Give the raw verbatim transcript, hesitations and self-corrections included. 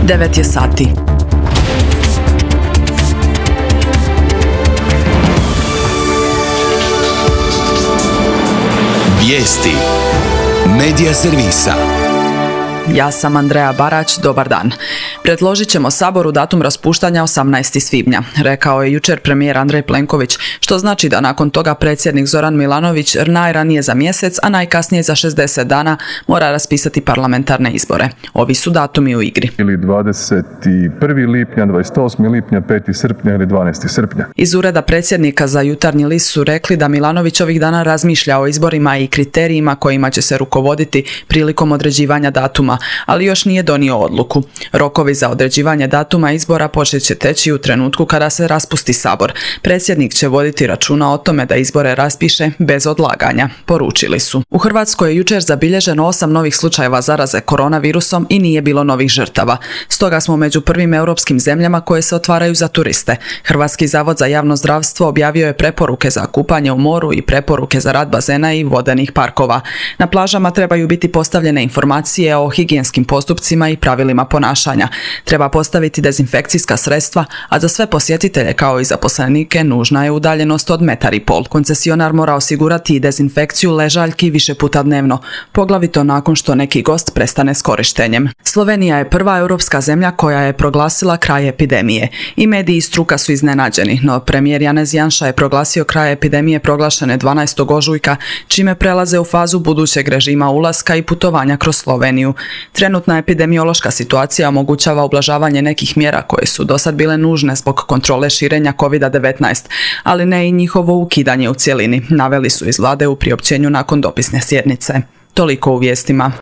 devet je sati. Vijesti Medija servisa. Ja sam Andreja Barać, dobar dan. Predložit ćemo Saboru datum raspuštanja osamnaestog svibnja, rekao je jučer premijer Andrej Plenković, što znači da nakon toga predsjednik Zoran Milanović najranije za mjesec, a najkasnije za šezdeset dana mora raspisati parlamentarne izbore. Ovi su datumi u igri. Ili dvadeset prvog lipnja, dvadeset osmog lipnja, petog srpnja ili dvanaestog srpnja. Iz ureda predsjednika za Jutarnji list su rekli da Milanović ovih dana razmišlja o izborima i kriterijima kojima će se rukovoditi prilikom određivanja datuma, ali još nije donio odluku. Rokovi za određivanje datuma izbora počet će teći u trenutku kada se raspusti Sabor. Predsjednik će voditi računa o tome da izbore raspiše bez odlaganja, poručili su. U Hrvatskoj je jučer zabilježeno osam novih slučajeva zaraze koronavirusom i nije bilo novih žrtava. Stoga smo među prvim europskim zemljama koje se otvaraju za turiste. Hrvatski zavod za javno zdravstvo objavio je preporuke za kupanje u moru i preporuke za rad bazena i vodenih parkova. Na plažama trebaju biti postavljene informacije o higijenskim postupcima i pravilima ponašanja. Treba postaviti dezinfekcijska sredstva, a za sve posjetitelje kao i zaposlenike nužna je udaljenost od metar i pol. Koncesionar mora osigurati i dezinfekciju ležaljki više puta dnevno, poglavito nakon što neki gost prestane s korištenjem. Slovenija je prva europska zemlja koja je proglasila kraj epidemije. I mediji i struka su iznenađeni, no premijer Janez Janša je proglasio kraj epidemije proglašene dvanaestog ožujka, čime prelaze u fazu budućeg režima ulaska i putovanja kroz Sloveniju. Trenutna epidemiološka situacija omogućava ublažavanje nekih mjera koje su dosad bile nužne zbog kontrole širenja kovid devetnaest, ali ne i njihovo ukidanje u cjelini, naveli su iz vlade u priopćenju nakon dopisne sjednice. Toliko u vijestima.